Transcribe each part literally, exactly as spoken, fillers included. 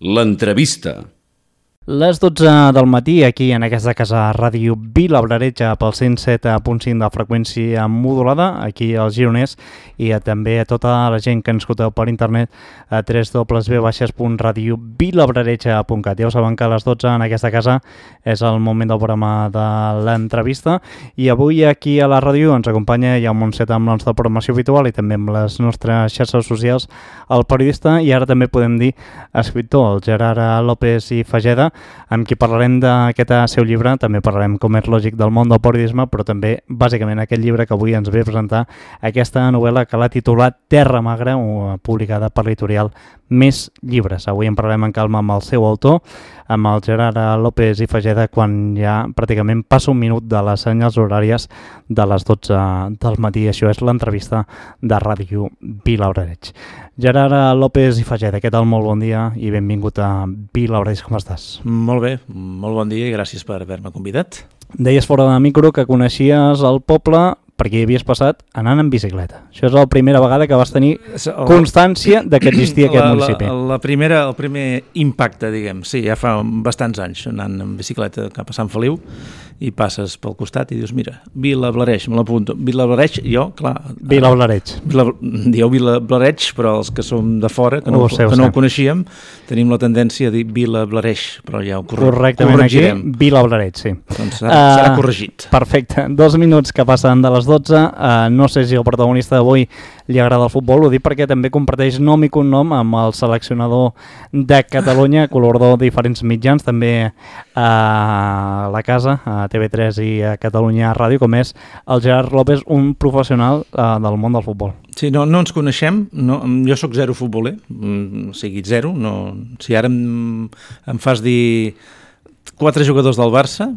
L'entrevista. Les dotze del matí, aquí en aquesta casa ràdio Vilablareix pel cent set punt cinc de freqüència modulada, aquí al Gironès, i a, també a tota la gent que ens escolteu per internet a w w w punt radio vilablareix punt cat. Ja ho saben que a les dotze en aquesta casa és el moment del programa de l'entrevista, i avui aquí a la ràdio ens acompanya ja un Montset amb la nostra programació habitual i també amb les nostres xarxes socials el periodista i ara també podem dir escriptor, el Gerard López i Fageda, amb qui parlarem d'aquest seu llibre. També parlarem, com és lògic, del món del periodisme, però també, bàsicament, aquest llibre que avui ens ve a presentar, aquesta novel·la que l'ha titulat Terra Magra, publicada per l'editorial Més Llibres. Avui en parlarem en calma amb el seu autor, amb el Gerard López i Fageda, quan ja pràcticament passa un minut de les senyals horàries de les dotze del matí. Això és l'entrevista de Ràdio Vilablareix. Gerard López i Fageda, què tal? Molt bon dia i benvingut a Vilablareix. Com estàs? Molt bé, molt bon dia i gràcies per haver-me convidat. Deies fora de micro que coneixies el poble perquè hi havies passat anant en bicicleta. Això és la primera vegada que vas tenir constància de que existia aquest la, municipi. La, la primera, el primer impacte, diguem, sí, ja fa bastants anys anant en bicicleta cap a Sant Feliu i passes pel costat i dius, mira, Vilablareix, me l'apunto. Vilablareix, jo, clar... Vilablareix. Vila, dieu Vilablareix, però els que som de fora, que no, ho, sé, que no ho coneixíem, tenim la tendència a dir Vilablareix, però ja ho corre correctament corregirem. Aquí, Vilablareix, sí. Doncs serà, uh, serà corregit. Perfecte. Dos minuts que passen de les dotze. Uh, no sé si el protagonista d'avui li agrada el futbol, ho dic perquè també comparteix nom i cognom amb el seleccionador de Catalunya, col·laborador de diferents mitjans, també a la casa, a T V tres i a Catalunya Ràdio, com és el Gerard López, un professional uh, del món del futbol. Sí, no, no ens coneixem, no, jo sóc zero futboler, o sigui, zero, no, si ara em, em fas dir quatre jugadors del Barça,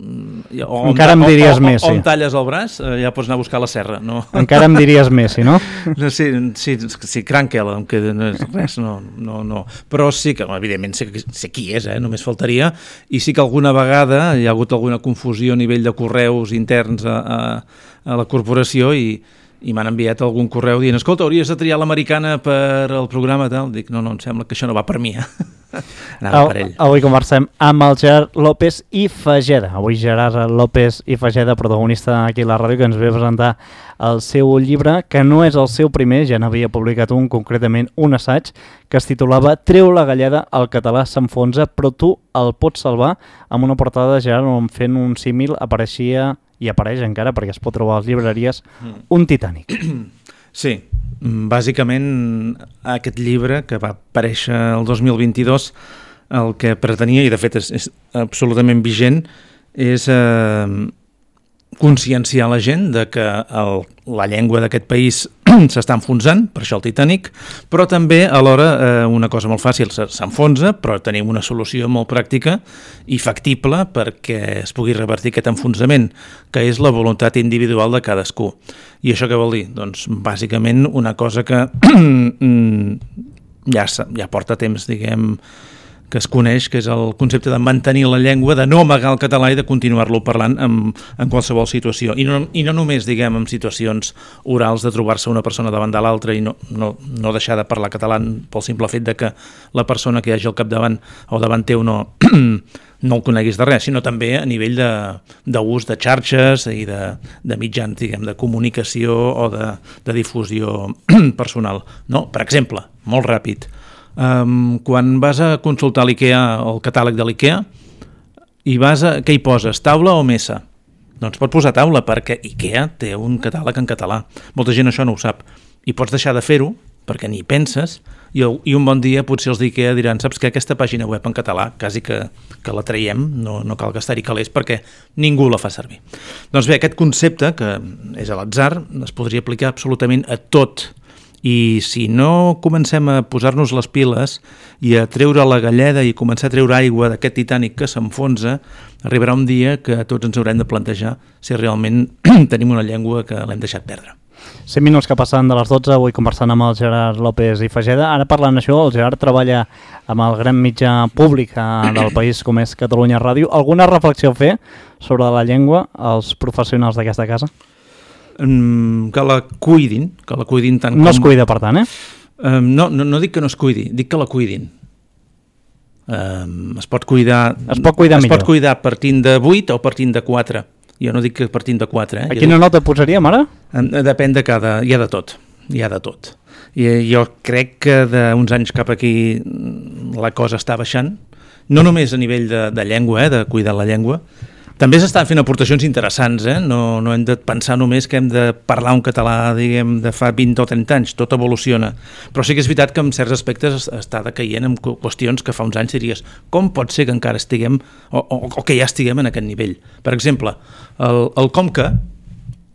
o encara em diries o, o, Messi. O em talles el braç, ja pots anar a buscar la serra. No? Encara em diries Messi, no? no sí, sí, sí, Crankel, em queda res, no, no, no. Però sí que, evidentment, sé, sé qui és, eh? Només faltaria, i sí que alguna vegada hi ha hagut alguna confusió a nivell de correus interns a, a, a la corporació i i m'han enviat algun correu dient, escolta, hauries de triar l'americana per al programa tal. Dic, no, no, em sembla que això no va per mi. Anava per ell. Avui conversem amb el Gerard López i Fageda. Avui Gerard López i Fageda, protagonista aquí a la ràdio, que ens ve a presentar el seu llibre, que no és el seu primer, ja n'havia publicat un, concretament un assaig, que es titulava Treu la galleda, el català s'enfonsa, però tu el pots salvar, amb una portada de Gerard on fent un símil apareixia i apareix encara, perquè es pot trobar a les llibreries, un Titanic. Sí, bàsicament aquest llibre, que va aparèixer el dos mil vint-i-dos, el que pretenia, i de fet és, és absolutament vigent, és eh, conscienciar la gent de que el, la llengua d'aquest país s'està enfonsant, per això el Titanic, però també alhora eh, una cosa molt fàcil, s'enfonsa, però tenim una solució molt pràctica i factible perquè es pugui revertir aquest enfonsament, que és la voluntat individual de cadascú. I això què vol dir? Doncs bàsicament una cosa que ja, ja porta temps, diguem, que es coneix, que és el concepte de mantenir la llengua, de no amagar el català i de continuar-lo parlant en, en qualsevol situació. I no, i no només, diguem, en situacions orals de trobar-se una persona davant de l'altra i no, no, no deixar de parlar català pel simple fet de que la persona que hi hagi al capdavant o davant teu no, no el coneguis de res, sinó també a nivell d'ús de, de xarxes i de, de mitjans, diguem, de comunicació o de, de difusió personal. No? Per exemple, molt ràpid, Um, quan vas a consultar l'IKEA, el catàleg de l'IKEA, i vas a, què hi poses, taula o mesa? Doncs pot posar taula perquè IKEA té un catàleg en català. Molta gent això no ho sap. I pots deixar de fer-ho perquè ni penses i, i un bon dia potser els d'IKEA diran, saps què, aquesta pàgina web en català, quasi que, que la traiem, no, no cal gastar-hi calés perquè ningú la fa servir. Doncs bé, aquest concepte, que és a l'atzar, es podria aplicar absolutament a tot. I si no comencem a posar-nos les piles i a treure la galleda i començar a treure aigua d'aquest Titanic que s'enfonsa, arribarà un dia que tots ens haurem de plantejar si realment tenim una llengua que l'hem deixat perdre. cinc minuts que passen de les dotze, avui conversant amb el Gerard López i Fageda. Ara parlant d'això, el Gerard treballa amb el gran mitjà públic del país com és Catalunya Ràdio. Alguna reflexió a fer sobre la llengua als professionals d'aquesta casa? Que la cuidin, que la cuidin tant no com... es cuida, per tant, eh? Um, no, no, no dic que no es cuidi, dic que la cuidin. Eh, es pot cuidar... Es pot cuidar es millor. pot cuidar partint de vuit o partint de quatre. Jo no dic que partint de quatre. Eh? A quina nota posaríem ara? Depèn de cada... Hi ha de tot. Hi ha de tot. I jo crec que d'uns anys cap aquí la cosa està baixant. No només a nivell de, de llengua, eh? De cuidar la llengua. També s'estan fent aportacions interessants, eh? no, no hem de pensar només que hem de parlar un català, diguem, de fa vint o trenta anys, tot evoluciona. Però sí que és veritat que en certs aspectes està decaient en qüestions que fa uns anys diries com pot ser que encara estiguem, o, o, o que ja estiguem en aquest nivell. Per exemple, el, el com que,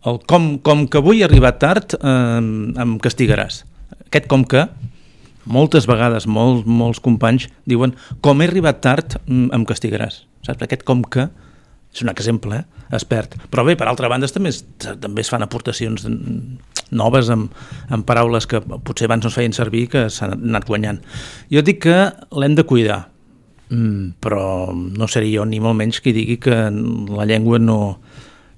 el com, com que avui he arribat tard, eh, em castigaràs. Aquest com que, moltes vegades, molts, molts companys diuen com he arribat tard, em castigaràs. Saps? Aquest com que és un exemple, eh? Es perd. Però bé, per altra banda, també es, també es fan aportacions noves amb, amb paraules que potser abans no es feien servir, que s'han anat guanyant. Jo dic que l'hem de cuidar, mm, però no seré jo ni molt menys qui digui que la llengua no,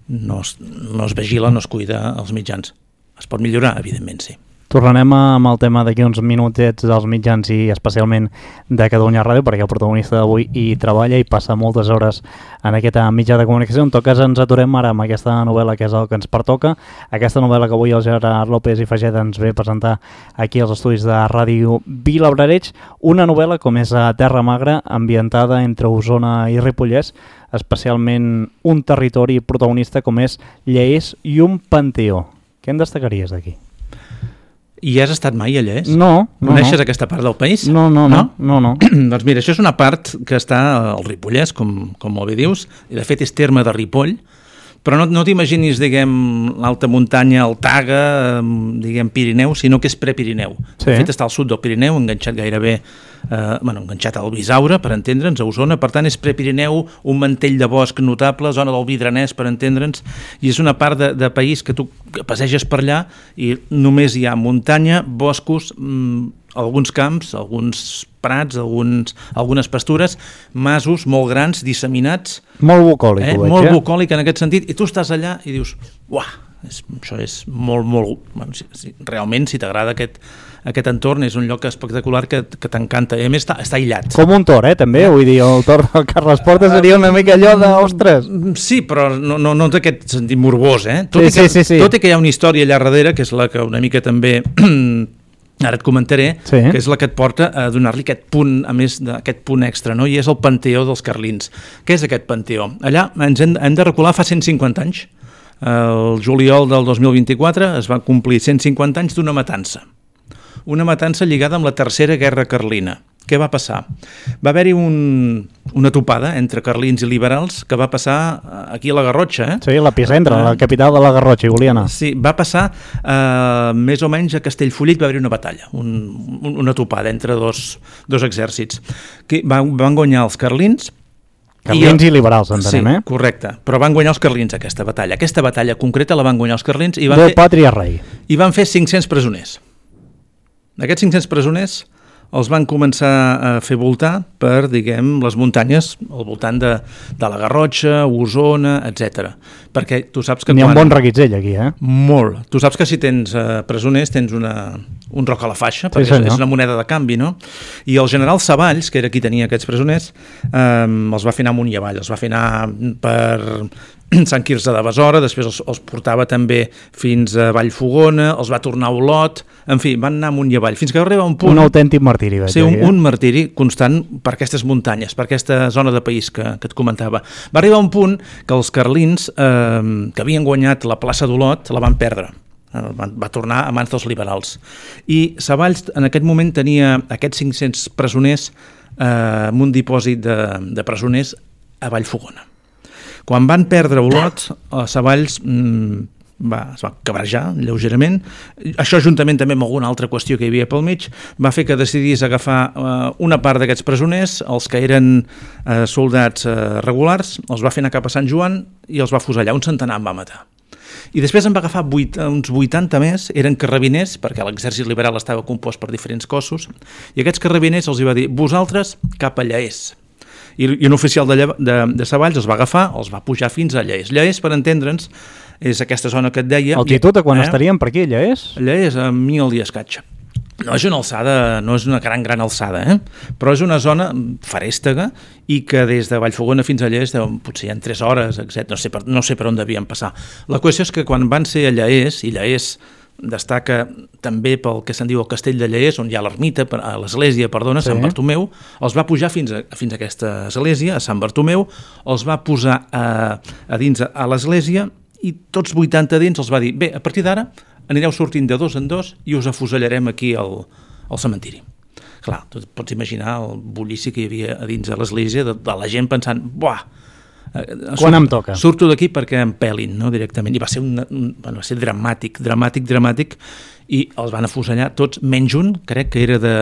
no, es, no es vigila, no es cuida als mitjans. Es pot millorar, evidentment, sí. Tornarem amb el tema d'aquí uns minutets dels mitjans i especialment de Catalunya Ràdio, perquè el protagonista d'avui hi treballa i passa moltes hores en aquest mitjà de comunicació. En tot cas ens aturem ara amb aquesta novel·la que és el que ens pertoca, aquesta novel·la que avui el Gerard López i Faget ens ve a presentar aquí als estudis de Ràdio Vilabrareig, una novel·la com és a Terra Magra, ambientada entre Osona i Ripollès, especialment un territori protagonista com és Llers i un panteó. Què en destacaries d'aquí? I has estat mai a Llers? No, no. Coneixes no. aquesta part del país? No, no, no. no? no, no. Doncs mira, això és una part que està al Ripollès, com, com molt bé dius, i de fet és terme de Ripoll, però no, no t'imaginis, diguem, l'alta muntanya, el Taga, diguem, Pirineu, sinó que és prepirineu. Sí. De fet està al sud del Pirineu, enganxat gairebé, eh, bueno, enganxat al Bisaure, per entendre'ns, a Osona, per tant és prepirineu, un mantell de bosc notable, zona del Vidranès, per entendre'ns, i és una part de, de país que tu passeges per allà i només hi ha muntanya, boscos, mmm, alguns camps, alguns prats, alguns, algunes pastures, masos molt grans, disseminats. Molt bucòlic, eh? ho veig, Molt eh? bucòlic en aquest sentit, i tu estàs allà i dius, uah, és, això és molt, molt... Bueno, si, si, realment, si t'agrada aquest, aquest entorn, és un lloc espectacular que, que t'encanta. I a més, està, està aïllat. Com un tor, eh, també, vull dir, el tor del Carles Porta seria una mica allò de, ostres. Sí, però no, no, no d'aquest sentit morbós, eh? Tot, sí, i que, sí, sí, sí. tot i que hi ha una història allà darrere, que és la que una mica també... ara et comentaré, sí. Que és la que et porta a donar-li aquest punt, a més d'aquest punt extra, no? I és el Panteó dels Carlins. Què és aquest Panteó? Allà ens hem, hem de recular fa cent cinquanta anys. El juliol del dos mil vint-i-quatre es va complir cent cinquanta anys d'una matança. Una matança lligada amb la Tercera Guerra Carlina. Què va passar? Va haver-hi un, una topada entre carlins i liberals que va passar aquí a la Garrotxa. Eh? Sí, l'epicentre, la capital de la Garrotxa, Juliana. Sí, va passar eh, més o menys a Castellfollit, va haver-hi una batalla, un, una topada entre dos, dos exèrcits. Que van, van guanyar els carlins. Carlins i, i liberals, entenem, sí, eh? Correcte, però van guanyar els carlins aquesta batalla. Aquesta batalla concreta la van guanyar els carlins i van, Déu, fer, pàtria, rei. i van fer cinc-cents presoners. D'aquests cinc-cents presoners els van començar a fer voltar per, diguem, les muntanyes al voltant de, de la Garrotxa, Osona, etcètera. Perquè tu saps que... N'hi ha quan... un bon reguitzell aquí, eh? Molt. Tu saps que si tens uh, presoners tens una, un roc a la faixa, perquè sí, és, és una moneda de canvi, no? I el general Savalls, que era qui tenia aquests presoners, eh, els va fer anar amunt i avall, els va fer anar per Sant Quirze de Besora, després els, els portava també fins a Vallfogona, els va tornar a Olot, en fi, van anar amunt i avall, fins que va arribar un punt... Un autèntic martiri, veig. Sí, un, un martiri constant per aquestes muntanyes, per aquesta zona de país que, que et comentava. Va arribar un punt que els carlins, eh, que havien guanyat la plaça d'Olot, la van perdre. Va tornar a mans dels liberals. I Savalls en aquest moment tenia aquests cinc-cents presoners eh, en un dipòsit de, de presoners a Vallfogona. Quan van perdre Olot, Savalls mmm, va, es va cabrejar lleugerament. Això, juntament també amb alguna altra qüestió que hi havia pel mig, va fer que decidís agafar eh, una part d'aquests presoners, els que eren eh, soldats eh, regulars, els va fer anar cap a Sant Joan i els va fusellar. Un centenar en va matar. I després en va agafar vuit, uns vuitanta més, eren carrabiners, perquè l'exèrcit liberal estava compost per diferents cossos, i aquests carrabiners els hi va dir, vosaltres cap a Llers. I, i un oficial de, de, de Savalls els va agafar, els va pujar fins a Llers. Llers, per entendre'ns, és aquesta zona que et deia... Altitud, a quan eh? estaríem per aquí, Llers? Llers a mil i escaig. No és una alçada, no és una gran, gran alçada, eh? Però és una zona farèstega i que des de Vallfogona fins a Llers potser hi ha tres hores, etcètera. No sé, per, no sé per on devien passar. La qüestió és que quan van ser a Llers, i Llers destaca també pel que se'n diu el castell de Llers, on hi ha l'ermita, l'església, perdona, sí. Sant Bartomeu, els va pujar fins a, fins a aquesta església, a Sant Bartomeu, els va posar a, a dins a l'església i tots vuitanta dins els va dir, bé, a partir d'ara anireu sortint de dos en dos i us afusellarem aquí al, al cementiri. Clar, tu pots imaginar el bullici que hi havia a dins de l'església de, de la gent pensant, buah, quan surt, em toca? Surto d'aquí perquè em pelin, no, directament. I va ser, un, un, bueno, va ser dramàtic, dramàtic, dramàtic, i els van afusellar tots, menys un, crec que era de,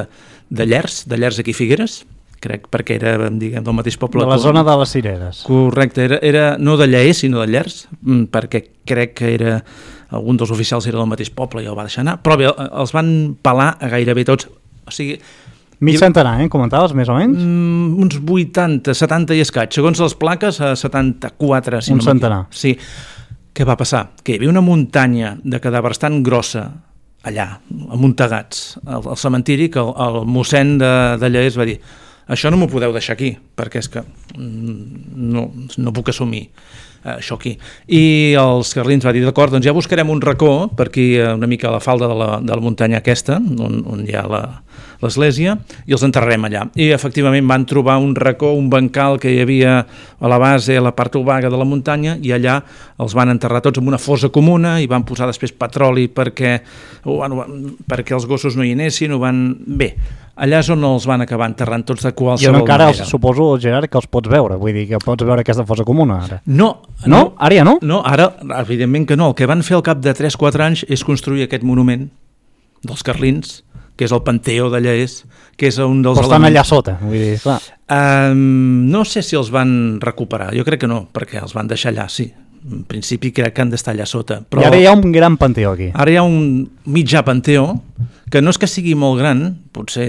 de Llers, de Llers aquí Figueres, crec, perquè era, diguem, del mateix poble. De la zona de les Cireres. Correcte, era, era no de Llers, sinó de Llers, perquè crec que era, algun dels oficials era del mateix poble i el va deixar anar, però bé, els van pelar a gairebé tots, o sigui... Mig centenar, eh? Comentaves, més o menys? Mm, uns vuitanta, setanta i escaig, segons les plaques, a setanta-quatre. Si un no centenar. Sí. Què va passar? Que hi havia una muntanya de cadàvers tan grossa allà, amuntegats, al, al cementiri, que el, el mossèn de, de Llers va dir, això no m'ho podeu deixar aquí, perquè és que no, no puc assumir això aquí. I els carlins va dir, d'acord, doncs ja buscarem un racó per aquí, una mica a la falda de la, de la muntanya aquesta, on, on hi ha la, l'església, i els enterrarem allà. I efectivament van trobar un racó, un bancal que hi havia a la base, a la part obaga de la muntanya, i allà els van enterrar tots en una fossa comuna i van posar després petroli perquè, bueno, perquè els gossos no hi anessin, ho van... Bé, allà és on els van acabar enterrant tots de qualsevol manera. I encara els, suposo, Gerard, que els pots veure, vull dir que pots veure aquesta fossa comuna ara. No. No? no? Ara ja no? No, ara, evidentment que no. El que van fer al cap de tres quatre anys és construir aquest monument dels carlins, que és el Panteó de Llers, que és un dels... Però estan elements... allà sota, vull dir, clar. Um, no sé si els van recuperar, jo crec que no, perquè els van deixar allà, sí. En principi crec que han d'estar allà sota. Però i ara hi ha un gran panteó aquí. Ara hi ha un mitjà panteó, que no és que sigui molt gran, potser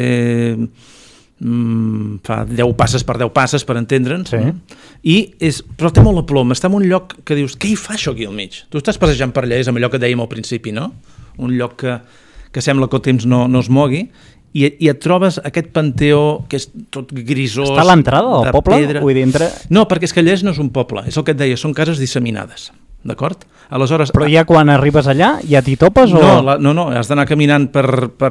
mm, fa deu passes per deu passes, per entendre'ns, sí. No? I és, però té molt la ploma, està en un lloc que dius, què hi fa això aquí al mig? Tu estàs passejant per allà, és amb allò que dèiem al principi, no? Un lloc que, que sembla que el temps no, no es mogui, i, i et trobes aquest panteó que és tot grisós. Està a l'entrada del poble? Pedra. Vull dir, entre... No, perquè és que Llers no és un poble, és el que et deia, són cases disseminades, d'acord? Aleshores, però ja quan arribes allà ja t'hi topes? O... No, la, no, no, has d'anar caminant per, per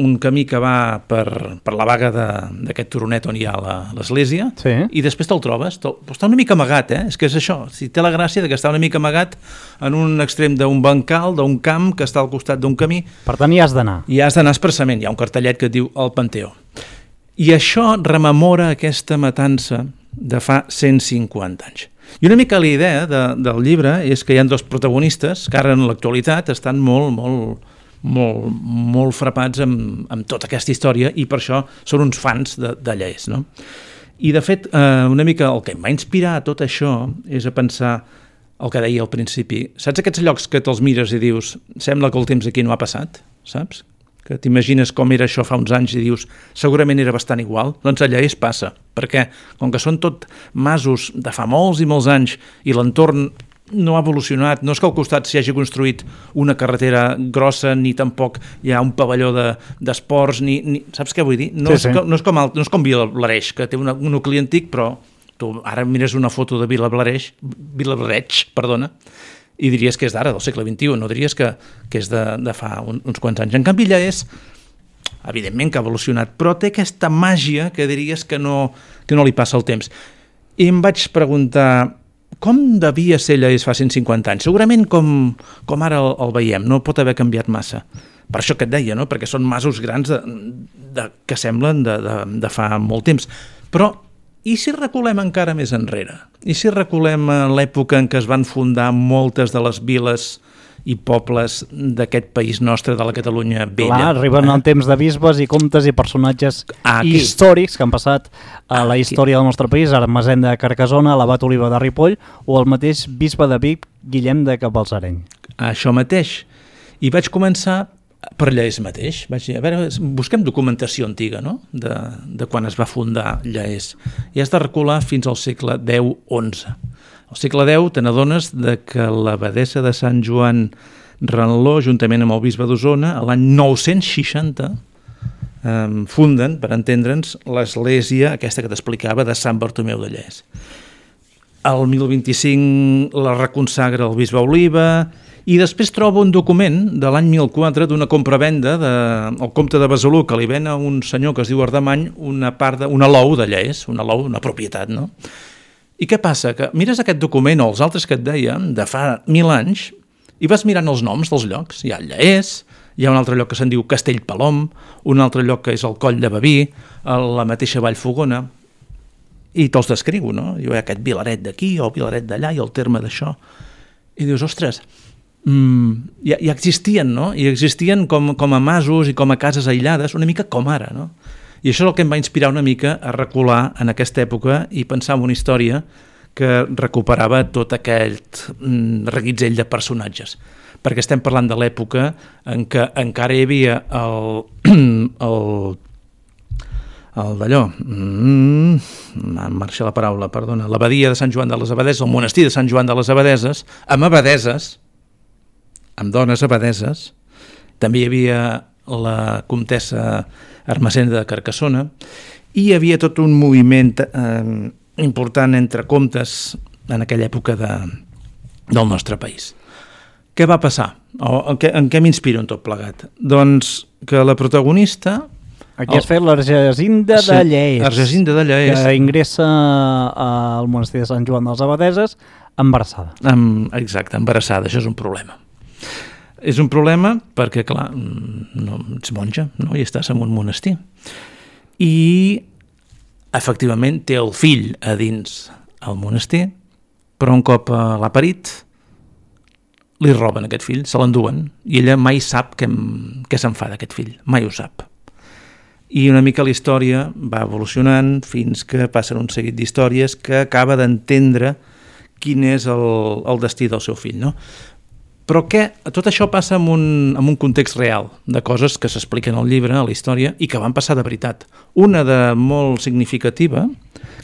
un camí que va per, per la vaga d'aquest turonet on hi ha l'església, sí. I després te'l trobes, te, està una mica amagat, eh? És que és això, si té la gràcia de que està una mica amagat en un extrem d'un bancal, d'un camp que està al costat d'un camí. Per tant, hi has d'anar. I has d'anar expressament, hi ha un cartellet que et diu el Panteó. I això rememora aquesta matança de fa cent cinquanta anys. I una mica la idea de, del llibre és que hi ha dos protagonistes que ara en l'actualitat estan molt, molt, molt, molt frapats amb, amb tota aquesta història i per això són uns fans de, de Llers, no? I de fet, eh, una mica el que em va inspirar a tot això és a pensar el que deia al principi. Saps aquests llocs que te'ls mires i dius sembla que el temps aquí no ha passat, saps? Que t'imagines com era això fa uns anys i dius segurament era bastant igual, doncs allà es passa, perquè com que són tot masos de fa molts i molts anys i l'entorn no ha evolucionat, no és que al costat s'hi hagi construït una carretera grossa ni tampoc hi ha un pavelló d'esports, de, ni, ni, saps què vull dir? No, sí, és, sí. Com, no, és, com, no és com Vilablareix, que té una, un nucli antic, però tu ara mires una foto de Vilablareix, Vilablareix, perdona, i diries que és d'ara, del segle vint-i-u, no diries que, que és de, de fa un, uns quants anys. En canvi, ja és, evidentment que ha evolucionat, però té aquesta màgia que diries que no, que no li passa el temps. I em vaig preguntar, com devia ser Llers fa cent cinquanta anys? Segurament com, com ara el, el veiem, no pot haver canviat massa. Per això que et deia, no? Perquè són masos grans de, de, que semblen de, de, de fa molt temps. Però i si reculem encara més enrere? I si reculem a l'època en què es van fundar moltes de les viles i pobles d'aquest país nostre, de la Catalunya vella? Clar, arriben eh? el temps de bisbes i comtes i personatges Aquí. històrics que han passat a la història Aquí. del nostre país, Ermessenda de Carcassona, l'Abat Oliva de Ripoll o el mateix bisbe de Vic, Guillem de Cabalsareny. Això mateix. I vaig començar per Llers mateix. Vaig dir, a veure, busquem documentació antiga, no?, de, de quan es va fundar Llers. I has de recular fins al segle deu onze. Al segle deu te n'adones de que l'abadessa de Sant Joan Renló, juntament amb el bisbe d'Osona, l'any nou-cents seixanta, eh, funden, per entendre'ns, l'església aquesta que t'explicava de Sant Bartomeu de Lles. El mil vint-i-cinc la reconsagra el bisbe Oliva i després troba un document de l'any mil quatre d'una compra-venda del comte de Besalú, que li ven a un senyor que es diu Ardemany una part de, una lou de Lles, una lou, una propietat, no? I què passa? Que mires aquest document o els altres que et deia de fa mil anys i vas mirant els noms dels llocs. Hi ha Lles, hi ha un altre lloc que se'n diu Castellpalom, un altre lloc que és el Coll de Baví, la mateixa Vallfogona, i te'ls descriu, no? Hi ha aquest vilaret d'aquí o vilaret d'allà i el terme d'això. I dius, ostres, mm, ja, ja existien, no? I existien com, com a masos i com a cases aïllades, una mica com ara, no? I això és el que em va inspirar una mica a recular en aquesta època i pensar en una història que recuperava tot aquest mm, reguitzell de personatges. Perquè estem parlant de l'època en què encara hi havia el... el el d'allò, mm, em marxa la paraula, perdona, l'abadia de Sant Joan de les Abadeses, el monestir de Sant Joan de les Abadeses, amb abadeses, amb dones abadeses, també hi havia la comtessa Ermessenda de Carcassona, i hi havia tot un moviment eh, important entre comtes en aquella època de, del nostre país. Què va passar? O, en què, en què m'inspiro en tot plegat? Doncs que la protagonista... Aquí has fet l'Argesinda de Lles, Argesinda de Lles, que ingressa al monestir de Sant Joan de les Abadeses embarassada. Amb, exacte, embarassada, això és un problema. És un problema perquè, clar, no, ets monja, no? I estàs en un monestir. I, efectivament, té el fill a dins el monestir, però un cop l'ha parit, li roben aquest fill, se l'enduen, i ella mai sap què, què se'n fa d'aquest fill, mai ho sap. I una mica la història va evolucionant fins que passen un seguit d'històries que acaba d'entendre quin és el, el destí del seu fill, no? Però què? Tot això passa en un, en un context real, de coses que s'expliquen al llibre, a la història, i que van passar de veritat. Una de molt significativa,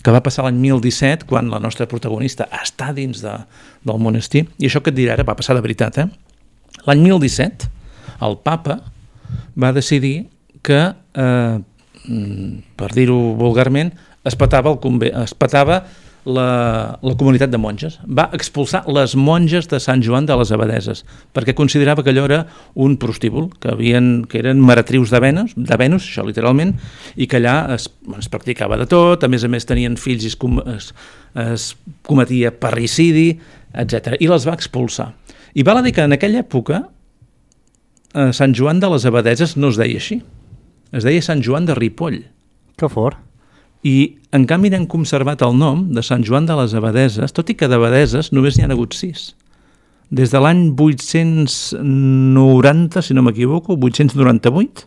que va passar l'any mil disset, quan la nostra protagonista està dins de, del monestir, i això que et diré ara va passar de veritat, eh? L'any mil disset, el papa va decidir que, eh, per dir-ho vulgarment, es petava, el conve... es petava la, la comunitat de monges. Va expulsar les monges de Sant Joan de les Abadeses, perquè considerava que allò era un prostíbul, que, havien, que eren maratrius de Venus, de Venus, això literalment, i que allà es, es practicava de tot, a més a més tenien fills i es, com, es, es cometia parricidi, etcètera. I les va expulsar. I val a dir que en aquella època eh, Sant Joan de les Abadeses no es deia així. Es deia Sant Joan de Ripoll. Que fort. I, en canvi, n'han conservat el nom de Sant Joan de les Abadeses, tot i que d'abadeses només n'hi ha hagut sis. Des de l'any vuit-cents noranta, si no m'equivoco, vuit-cents noranta-vuit,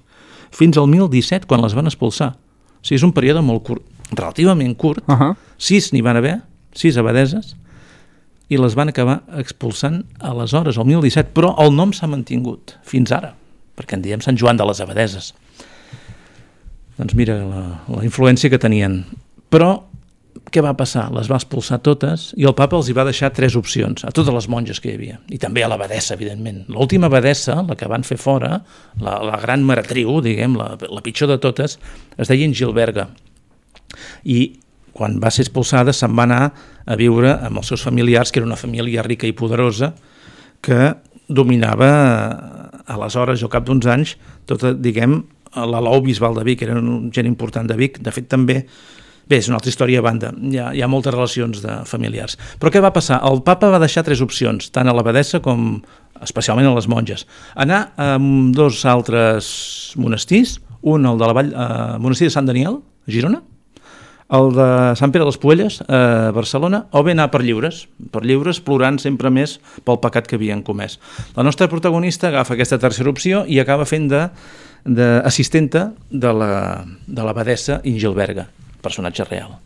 fins al mil disset, quan les van expulsar. O sigui, és un període molt curt, relativament curt. Uh-huh. Sis n'hi van haver, sis abadeses, i les van acabar expulsant aleshores, al mil disset, però el nom s'ha mantingut fins ara, perquè en diem Sant Joan de les Abadeses. Doncs mira la, la influència que tenien. Però què va passar? Les va expulsar totes i el papa els hi va deixar tres opcions a totes les monges que hi havia, i també a l'abadessa, evidentment. L'última abadessa, la que van fer fora, la, la gran maratriu, diguem, la, la pitjor de totes, es deia Ingilberga. I quan va ser expulsada se'n va anar a viure amb els seus familiars, que era una família rica i poderosa, que dominava aleshores, o cap d'uns anys, tota, diguem, la Lau Bisbal de Vic, era un gent important de Vic. De fet, també, bé, és una altra història a banda, hi ha, hi ha moltes relacions de familiars. Però què va passar? El papa va deixar tres opcions, tant a l'abadessa com especialment a les monges. Anar a dos altres monestirs, un el de la Vall, eh, monestir de Sant Daniel, a Girona, el de Sant Pere de les Puelles, a Barcelona, o bé anar per lliures, per lliures, plorant sempre més pel pecat que havien comès. La nostra protagonista agafa aquesta tercera opció i acaba fent de d'assistenta de la, de l'abadessa Ingilberga, personatge real.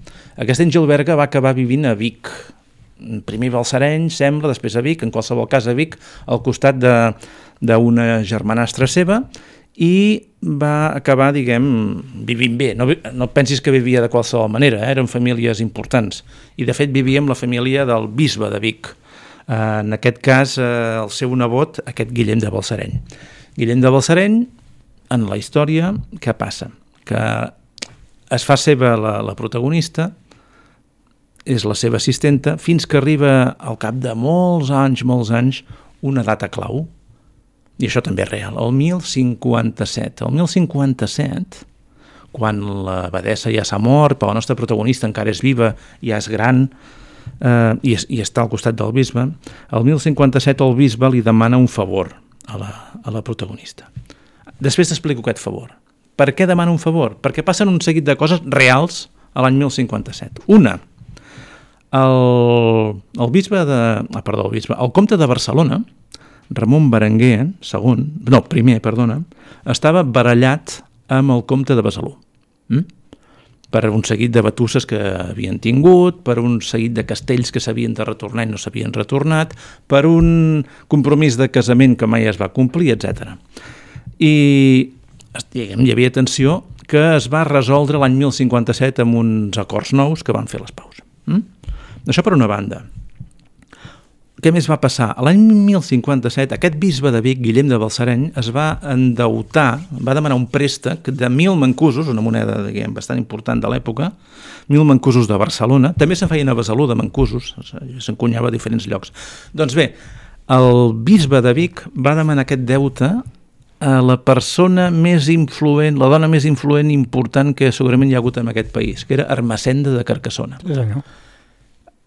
Aquesta Ingilberga va acabar vivint a Vic, primer a Balsareny, sembla, després a Vic, en qualsevol cas a Vic, al costat d'una germanastra seva, i va acabar, diguem, vivint bé. No, no pensis que vivia de qualsevol manera, eh? Eren famílies importants, i de fet vivia amb la família del bisbe de Vic, en aquest cas el seu nebot, aquest Guillem de Balsareny. Guillem de Balsareny en la història, què passa? Que es fa seva la, la protagonista, és la seva assistenta, fins que arriba al cap de molts anys, molts anys, una data clau, i això també és real, el mil cinquanta-set. El mil cinquanta-set, quan l'abadessa ja s'ha mort, però la nostra protagonista encara és viva, ja és gran, eh, i, i està al costat del bisbe, el mil cinquanta-set el bisbe li demana un favor a la, a la protagonista. Després t'explico aquest favor. Per què demana un favor? Perquè passen un seguit de coses reals a l'any mil cinquanta-set. Una, el, el bisbe de... Ah, perdó, el bisbe, el comte de Barcelona, Ramon Berenguer, segon, no, primer, perdona, estava barallat amb el comte de Besalú. Mm? Per un seguit de batusses que havien tingut, per un seguit de castells que s'havien de retornar i no s'havien retornat, per un compromís de casament que mai es va complir, etcètera. I diguem, hi havia tensió que es va resoldre l'any mil cinquanta-set amb uns acords nous que van fer les paus. Mm? Això per una banda. Què més va passar? L'any mil cinquanta-set aquest bisbe de Vic, Guillem de Balsareny, es va endeutar, va demanar un préstec de mil mancusos, una moneda diguem, bastant important de l'època, mil mancusos de Barcelona, també se'n feien a Besalú de mancusos, s'encunyava a diferents llocs. Doncs bé, el bisbe de Vic va demanar aquest deute a la persona més influent, la dona més influent i important que segurament hi ha hagut en aquest país, que era Ermessenda de Carcassona. Sí, senyor.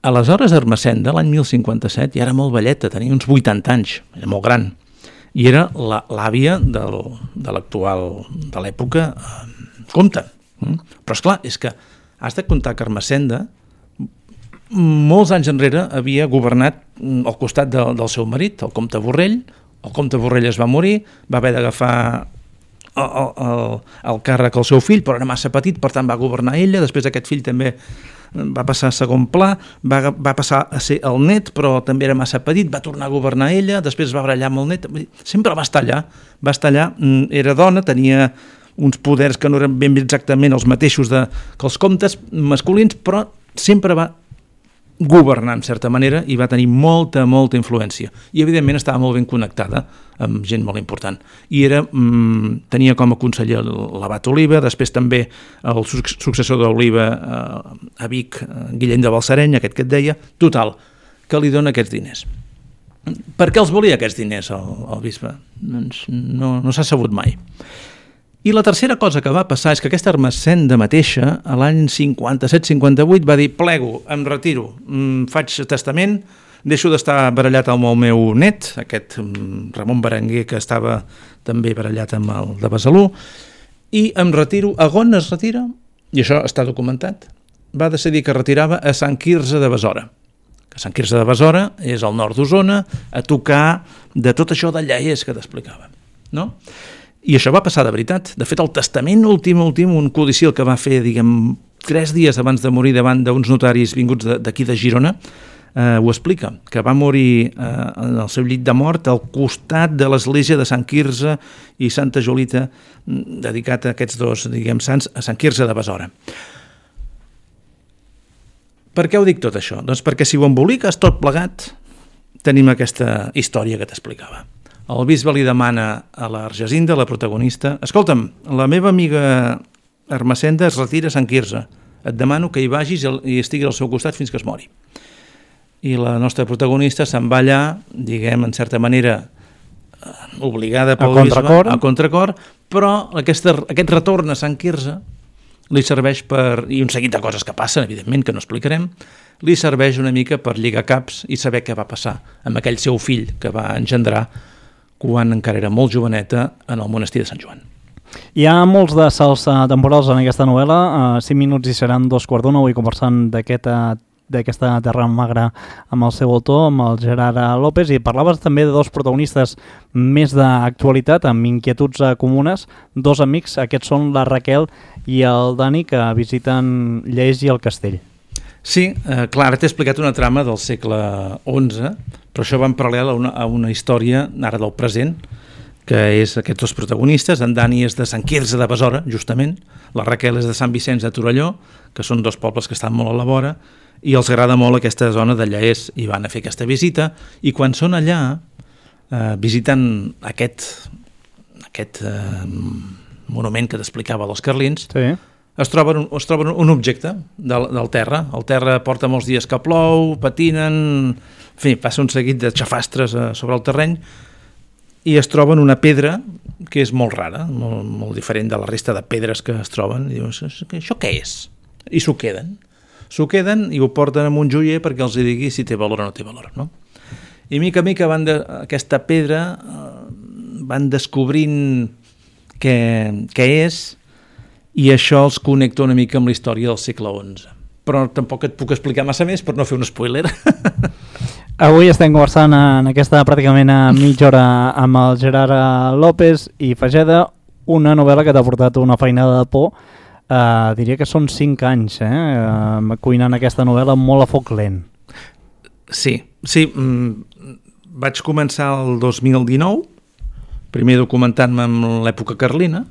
Aleshores, Ermessenda, l'any mil cinquanta-set, ja era molt velleta, tenia uns vuitanta anys, era molt gran, i era l'àvia del, de l'actual, de l'època, eh, comte. Mm? Però, esclar, és que has de comptar que Ermessenda, molts anys enrere, havia governat al costat de, del seu marit, el comte Borrell. El comte Borrell es va morir, va haver d'agafar el, el, el càrrec al seu fill, però era massa petit, per tant va governar ella, després aquest fill també va passar a segon pla, va, va passar a ser el net, però també era massa petit, va tornar a governar ella, després va barallar amb el net, sempre va estar allà, va estar allà, era dona, tenia uns poders que no eren ben exactament els mateixos de, que els comtes masculins, però sempre va governar en certa manera i va tenir molta, molta influència. I evidentment estava molt ben connectada amb gent molt important. I era, mmm, tenia com a conseller l'abat Oliva, després també el successor d'Oliva eh, a Vic, Guillem de Balsareny, aquest que et deia, total, que li dona aquests diners. Per què els volia aquests diners el, el bisbe? Doncs no, no s'ha sabut mai. I la tercera cosa que va passar és que aquesta Ermessenda mateixa, a l'any cinquanta-set cinquanta-vuit, va dir, plego, em retiro, faig testament, deixo d'estar barallat amb el meu net, aquest Ramon Berenguer, que estava també barallat amb el de Besalú, i em retiro. A on es retira? I això està documentat. Va decidir que retirava a Sant Quirze de Besora. Que Sant Quirze de Besora és al nord d'Osona, a tocar de tot això de Llaers que t'explicava, no? I això va passar de veritat. De fet, el testament últim, últim, un codicil que va fer, diguem, tres dies abans de morir davant d'uns notaris vinguts d'aquí de, de Girona, eh, ho explica, que va morir eh, en el seu llit de mort al costat de l'església de Sant Quirze i Santa Jolita, dedicat a aquests dos, diguem, sants, a Sant Quirze de Besora. Per què ho dic tot això? Doncs perquè si ho emboliques tot plegat, tenim aquesta història que t'explicava. El bisbe li demana a l'Argesinda, la protagonista, escolta'm, la meva amiga Ermessenda es retira a Sant Quirze, et demano que hi vagis i estigui al seu costat fins que es mori. I la nostra protagonista se'n va allà, diguem, en certa manera, obligada pel bisbe, a contracor, però aquesta, aquest retorn a Sant Quirze li serveix per, i un seguit de coses que passen, evidentment, que no explicarem, li serveix una mica per lligar caps i saber què va passar amb aquell seu fill que va engendrar quan encara era molt joveneta en el monestir de Sant Joan. Hi ha molts de salts temporals en aquesta novel·la, uh, cinc minuts i seran dos quarts d'una, avui conversant d'aquesta Terra Magra amb el seu autor, amb el Gerard López, i parlaves també de dos protagonistes més d'actualitat, amb inquietuds comunes, dos amics, aquests són la Raquel i el Dani, que visiten Llers i el castell. Sí, eh, clar, ara t'he explicat una trama del segle onze, però això va en paral·lel a una, a una història ara del present, que és aquests dos protagonistes. En Dani és de Sant Quirze de Besora, justament, la Raquel és de Sant Vicenç de Torelló, que són dos pobles que estan molt a la vora, i els agrada molt aquesta zona de Llaers, i van a fer aquesta visita, i quan són allà, eh, visitant aquest, aquest eh, monument que t'explicava dels carlins, sí. es troben, un, es troben un objecte del, del terra. El terra porta molts dies que plou, patinen, en fi, passa un seguit de xafastres eh, sobre el terreny, i es troben una pedra que és molt rara, molt, molt diferent de la resta de pedres que es troben. I dius, això què és? I s'ho queden. S'ho queden i ho porten amb un joier perquè els digui si té valor o no té valor, no? I mica a mica van de, aquesta pedra eh, van descobrint què, què és, i això els connecta una mica amb la història del segle onze. Però tampoc et puc explicar massa més per no fer un spoiler. Avui estem conversant en aquesta pràcticament a mitja hora amb el Gerard López i Fageda, una novel·la que t'ha portat una feinada de por. Uh, diria que són cinc anys, eh? Uh, cuinant aquesta novel·la molt a foc lent. Sí, sí. Mm, vaig començar el dos mil dinou, primer documentant-me amb l'època carlina,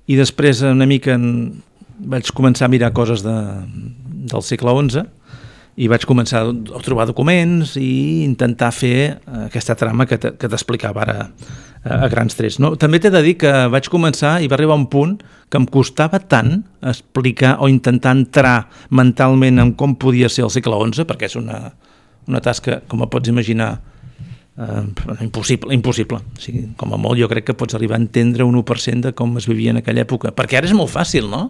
i després una mica en... vaig començar a mirar coses de, del segle onze, i vaig començar a trobar documents i intentar fer aquesta trama que t'explicava ara a, a grans trets. No? També t'he de dir que vaig començar i va arribar un punt que em costava tant explicar o intentar entrar mentalment en com podia ser el segle onze, perquè és una, una tasca, com pots imaginar, eh, impossible. impossible. O sigui, com a molt jo crec que pots arribar a entendre un u per cent de com es vivia en aquella època. Perquè ara és molt fàcil, no?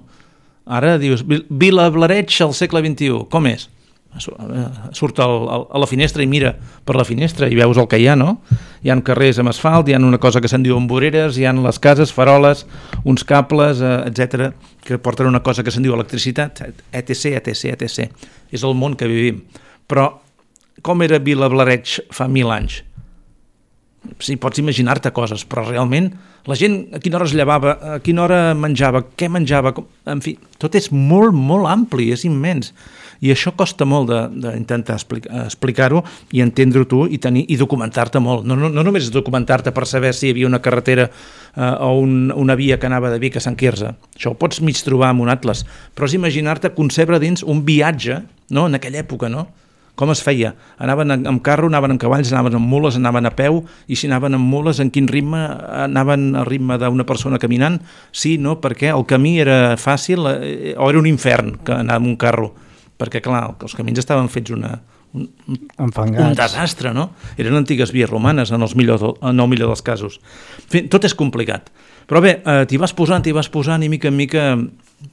Ara dius, Vila Blareig al segle vint-i-u, com és? Surt al, al, a la finestra i mira per la finestra i veus el que hi ha, no? Hi ha carrers amb asfalt, hi ha una cosa que se'n diuen voreres, hi ha les cases, faroles, uns cables, eh, etcètera, que porten una cosa que se'n diu electricitat, etc, etc, etcètera. És el món que vivim. Però com era Vila Blareig fa mil anys? Sí, pots imaginar-te coses, però realment la gent a quina hora es llevava, a quina hora menjava, què menjava, com... en fi, tot és molt, molt ampli, és immens. I això costa molt d'intentar explicar, explicar-ho i entendre-ho tu i, tenir, i documentar-te molt. No, no, no només documentar-te per saber si hi havia una carretera eh, o un, una via que anava de Vic a Sant Quirze. Això ho pots mig trobar amb un atles, però és imaginar-te concebre dins un viatge, no?, en aquella època, no? Com es feia? Anaven amb carro, anaven amb cavalls, anaven amb mules, anaven a peu, i si anaven amb mules, en quin ritme? Anaven al ritme d'una persona caminant? Sí, no? Perquè el camí era fàcil eh, o era un infern que anar amb un carro? Perquè, clar, els camins estaven fets una, un, un desastre, no? Eren antigues vies romanes, en, els millor, en el millor dels casos. En fi, tot és complicat. Però bé, eh, t'hi vas posant, t'hi vas posant, i mica en mica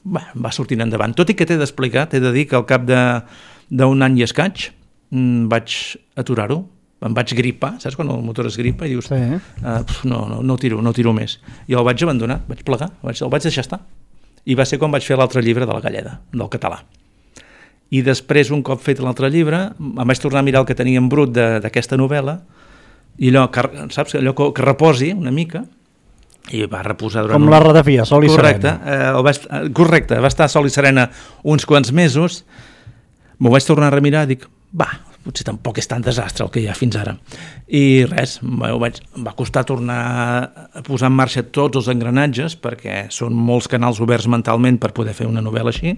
bah, va sortint endavant. Tot i que t'he d'explicar, t'he de dir que al cap de d'un any i escaig mmm, vaig aturar-ho, em vaig gripar, saps quan el motor es gripa i dius, sí. uh, no, no, no tiro, no tiro més. I el vaig abandonar, vaig plegar, vaig, el vaig deixar estar. I va ser quan vaig fer l'altre llibre de la Galleda, del català. I després, un cop fet l'altre llibre, em vaig tornar a mirar el que tenia en brut d'aquesta novel·la, i allò, que, saps, allò que, que reposi una mica, i va reposar durant... Com un... la ratafia, sol i correcte, serena. Eh, vaig, correcte, va estar sol i serena uns quants mesos, m'ho vaig tornar a remirar i dic, va, potser tampoc és tan desastre el que hi ha fins ara. I res, vaig, em va costar tornar a posar en marxa tots els engranatges, perquè són molts canals oberts mentalment per poder fer una novel·la així,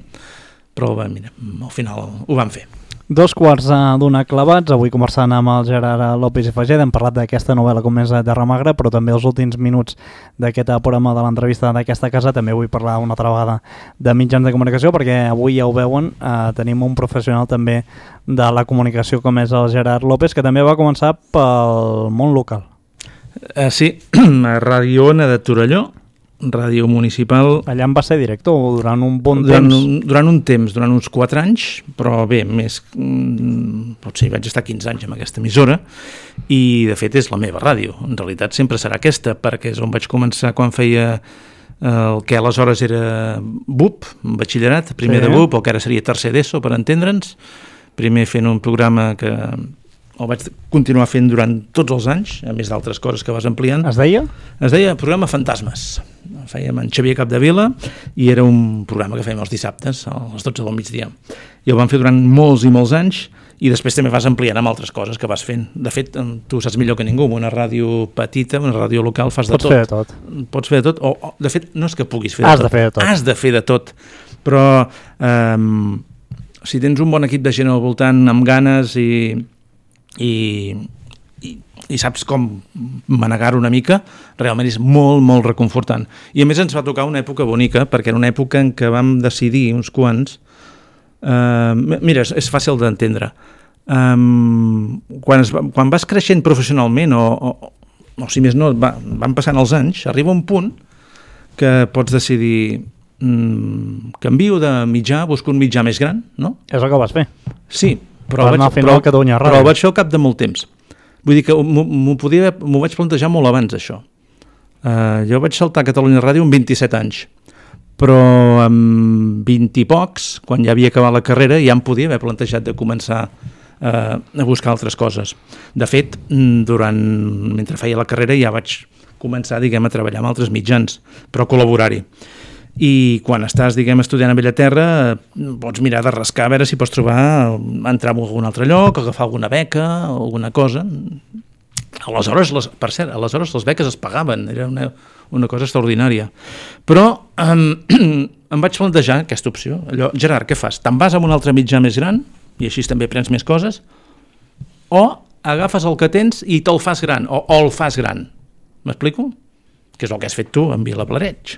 però bé, mira, al final ho vam fer. Dos quarts d'una clavats, avui conversant amb el Gerard López i Fageda, hem parlat d'aquesta novel·la com és Terra Magra, però també els últims minuts d'aquest programa de l'entrevista d'aquesta casa també vull parlar una altra vegada de mitjans de comunicació, perquè avui ja ho veuen, eh, tenim un professional també de la comunicació com és el Gerard López, que també va començar pel món local. Uh, sí, a Ràdio Ona de Torelló, ràdio municipal. Allà em va ser director durant un bon durant, temps. Durant un temps, durant uns quatre anys, però bé, més... Potser vaig estar quinze anys amb aquesta emissora i, de fet, és la meva ràdio. En realitat sempre serà aquesta, perquè és on vaig començar quan feia el que aleshores era B U P, batxillerat, primer sí. de B U P, el que ara seria tercer d'ESO, per entendre'ns. Primer fent un programa que el vaig continuar fent durant tots els anys, a més d'altres coses que vas ampliant. Es deia? Es deia Programa Fantasmes. Fèiem en Xavier Capdevila i era un programa que fèiem els dissabtes a les dotze del migdia. I el vam fer durant molts i molts anys i després també vas ampliant amb altres coses que vas fent. De fet, tu saps millor que ningú, amb una ràdio petita, una ràdio local, fas de Pots tot. Pots fer de tot. Pots fer de tot. O, o, de fet, no és que puguis fer de Has tot. de fer de tot. Has de fer de tot. Però eh, si tens un bon equip de gent al voltant amb ganes i... I, i, i saps com manegar-ho una mica, realment és molt, molt reconfortant. I a més ens va tocar una època bonica, perquè era una època en què vam decidir uns quants... Uh, mira, és, és fàcil d'entendre. Um, quan, es va, quan vas creixent professionalment, o, o, o si més no, va, van passant els anys, arriba un punt que pots decidir um, canvio de mitjà, busco un mitjà més gran, no? És el que vas fer. Sí, però, vaig, però, però vaig fer al cap de molt temps. Vull dir que m'ho vaig plantejar molt abans, això. Uh, jo vaig saltar a Catalunya Ràdio amb vint-i-set anys, però amb vint i pocs, quan ja havia acabat la carrera, ja em podia haver plantejat de començar uh, a buscar altres coses. De fet, durant, mentre feia la carrera ja vaig començar, diguem, a treballar amb altres mitjans, però col·laborar-hi. I quan estàs, diguem, estudiant a Bellaterra, pots mirar de rascar a veure si pots trobar, entrar en algun altre lloc, agafar alguna beca, alguna cosa. Aleshores, les, per cert, aleshores les beques es pagaven, era una, una cosa extraordinària. Però um, em vaig plantejar aquesta opció. Allò, Gerard, què fas? Te'n vas amb un altre mitjà més gran, i així també prens més coses, o agafes el que tens i te'l fas gran, o, o el fas gran. M'explico? Que és el que has fet tu amb Vilablareix.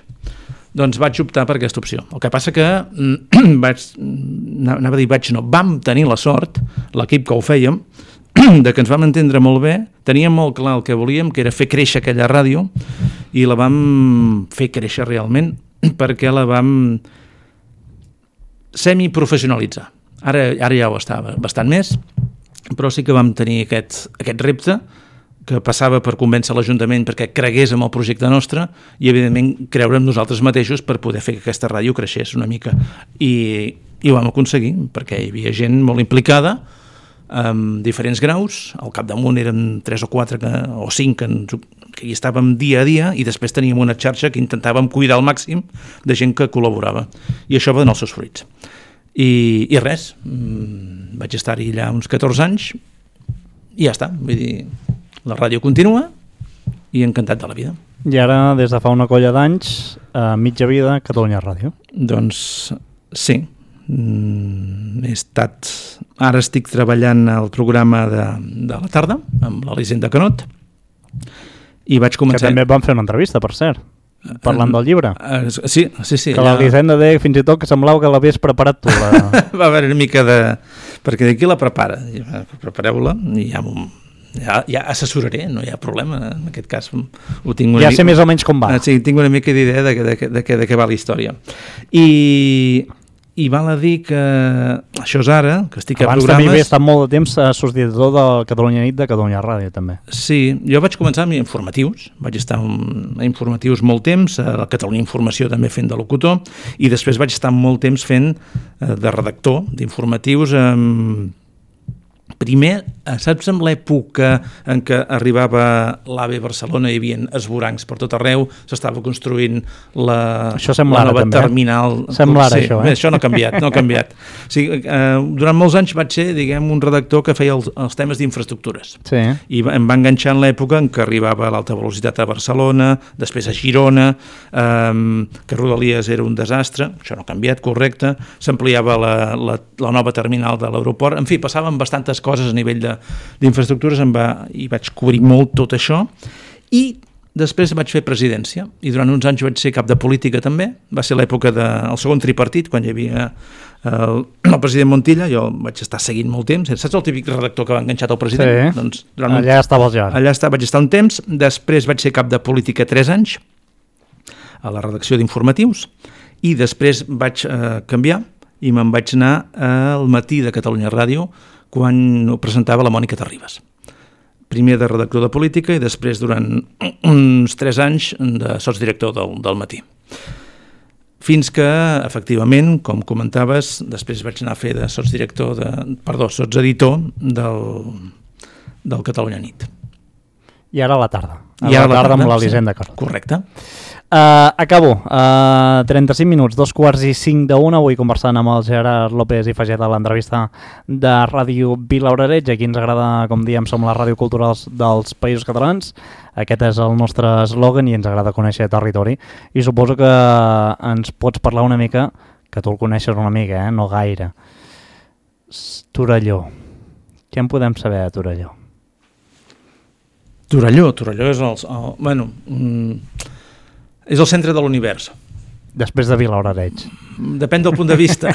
Doncs vaig optar per aquesta opció. El que passa que vaig, anava a dir vaig no, vam tenir la sort, l'equip que ho fèiem, de que ens vam entendre molt bé, teníem molt clar el que volíem, que era fer créixer aquella ràdio, i la vam fer créixer realment perquè la vam semiprofessionalitzar. Ara, ara ja ho estava bastant més, però sí que vam tenir aquest, aquest repte que passava per convèncer l'Ajuntament perquè cregués en el projecte nostre i, evidentment, creure en nosaltres mateixos per poder fer que aquesta ràdio creixés una mica. I, i ho vam aconseguir, perquè hi havia gent molt implicada, amb diferents graus, al capdamunt eren tres o quatre que, o cinc que, que hi estàvem dia a dia, i després teníem una xarxa que intentàvem cuidar al màxim de gent que col·laborava. I això va donar els seus fruits. I, i res, vaig estar-hi allà uns catorze anys i ja està, vull dir... La ràdio continua i encantat de la vida. I ara, des de fa una colla d'anys, a mitja vida, Catalunya Ràdio. Doncs sí. Mm, he estat... Ara estic treballant al programa de, de la tarda, amb l'Elisenda Canot, i vaig començar... Que també vam fer una entrevista, per cert, parlant uh, del llibre. Uh, sí, sí, sí. Que l'Elisenda deia fins i tot que semblava que l'havies preparat tu. La... Va haver una mica de... Perquè d'aquí la prepara. Prepareu-la i ja m'ho... Ja, ja assessoraré, no hi ha problema, en aquest cas ho tinc una ja mica, sé més o menys com va. Sí, tinc una mica d'idea de, de, de, de, de què va la història. I, i val a dir que això és ara, que estic abans a programes... Abans també havia estat molt de temps a subdirector de Catalunya Nit de Catalunya Ràdio, també. Sí, jo vaig començar amb informatius, vaig estar a informatius molt temps, a la Catalunya Informació també fent de locutor, i després vaig estar molt temps fent de redactor d'informatius amb... Primer, saps, en l'època en què arribava l'A V E Barcelona, hi havia esvorancs per tot arreu, s'estava construint la, la nova també, terminal. Sembla ara, sí, això, eh? eh? Això no ha canviat, no ha canviat. O sigui, eh, durant molts anys vaig ser, diguem, un redactor que feia els, els temes d'infraestructures. Sí. I em va enganxar en l'època en què arribava l'alta velocitat a Barcelona, després a Girona, eh, que Rodalies era un desastre, això no ha canviat, correcte, s'ampliava la, la, la nova terminal de l'aeroport, en fi, passaven bastantes coses a nivell d'infraestructures, i vaig cobrir molt tot això, i després vaig fer presidència, i durant uns anys vaig ser cap de política també, va ser l'època del segon tripartit, quan hi havia el, el president Montilla, jo vaig estar seguint molt temps, saps el típic redactor que va enganxat al president? Sí, doncs, durant allà un, estava el Jar. Allà està, vaig estar un temps, després vaig ser cap de política tres anys, a la redacció d'informatius, i després vaig eh, canviar, i me'n vaig anar al matí de Catalunya Ràdio, quan ho presentava la Mònica Terribas. Primer de redactor de política i després durant uns tres anys de sotsdirector del, del matí. Fins que, efectivament, com comentaves, després vaig anar a fer de sotsdirector, de, perdó, sotseditor del, del Catalunya Nit. I ara a la tarda. A I la, ara la tarda, tarda amb l'Elisenda sí, Canot. Correcte. Uh, acabo. Uh, trenta-cinc minuts, dos quarts i cinc d'una, avui conversant amb el Gerard López i Faget a l'entrevista de Ràdio Vilablareix. Aquí ens agrada, com diem, som la ràdio cultural dels Països Catalans. Aquest és el nostre eslògan i ens agrada conèixer territori. I suposo que ens pots parlar una mica, que tu el coneixes una mica, eh? No gaire. Torelló. Què en podem saber de Torelló? Torelló, Torelló és el, el, bueno, mm, és el centre de l'univers. Després de Vilablareix. Depèn del punt de vista.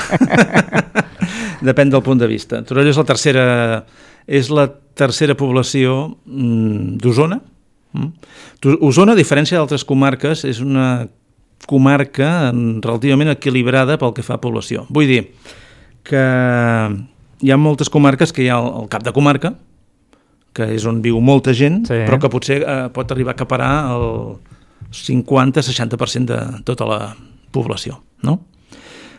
Depèn del punt de vista. Torelló és la tercera, és la tercera població mm, d'Osona. Mm. Osona, a diferència d'altres comarques, és una comarca relativament equilibrada pel que fa a població. Vull dir que hi ha moltes comarques que hi ha el, el cap de comarca, que és on viu molta gent, sí. però que potser eh, pot arribar a acaparar el cinquanta a seixanta per cent de tota la població, no?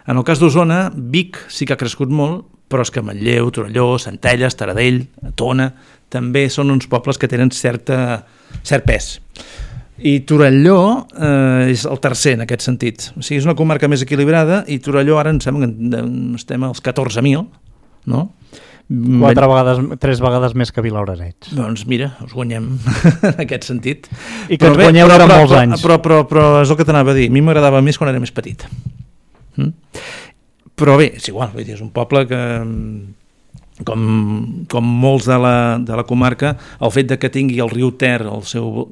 En el cas d'Osona, Vic sí que ha crescut molt, però és que Manlleu, Torelló, Centelles, Taradell, Tona, també són uns pobles que tenen certa, cert pes. I Torelló eh, és el tercer en aquest sentit. O sigui, és una comarca més equilibrada i Torelló ara em sembla que estem als catorze mil, no? Quatre vegades, tres vegades més que Vilablareix. Doncs mira, us guanyem en aquest sentit. I que ens guanyeu durant molts anys. Però, però, però, però és el que t'anava a dir. A mi m'agradava més quan era més petit. Mm? Però bé, és igual, vull dir, és un poble que, com, com molts de la, de la comarca, el fet de que tingui el riu Ter, el seu...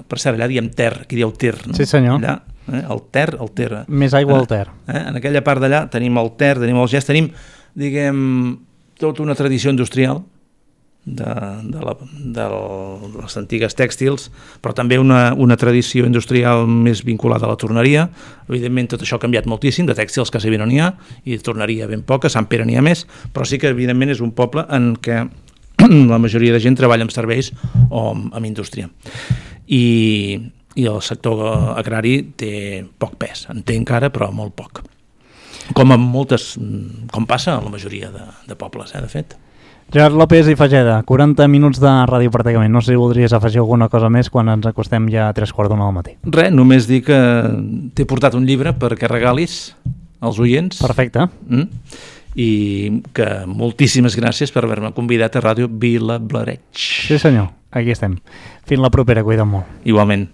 Per cert, allà diem Ter, aquí dieu Ter, no? Sí, senyor. Allà, eh? El Ter, el Ter. Més aigua al Ter. Eh? En aquella part d'allà tenim el Ter, tenim el Gest, tenim, diguem, tota una tradició industrial de, de, la, de les antigues tèxtils, però també una, una tradició industrial més vinculada a la torneria. Evidentment tot això ha canviat moltíssim, de tèxtils quasi bé no n'hi ha, i de torneria ben poca, Sant Pere n'hi ha més, però sí que evidentment és un poble en què la majoria de gent treballa amb serveis o amb, amb indústria. I, i el sector agrari té poc pes, en té encara, però molt poc. Com en moltes, com passa a la majoria de, de pobles, eh, de fet. Gerard López i Fageda, quaranta minuts de ràdio pràcticament. No sé si voldries afegir alguna cosa més quan ens acostem ja a tres quarts d'una del matí. Res, només dir que t'he portat un llibre perquè regalis als oients. Perfecte. Mm? I que moltíssimes gràcies per haver-me convidat a Ràdio Vilablareix. Sí senyor, aquí estem. Fins la propera, cuida't molt. Igualment.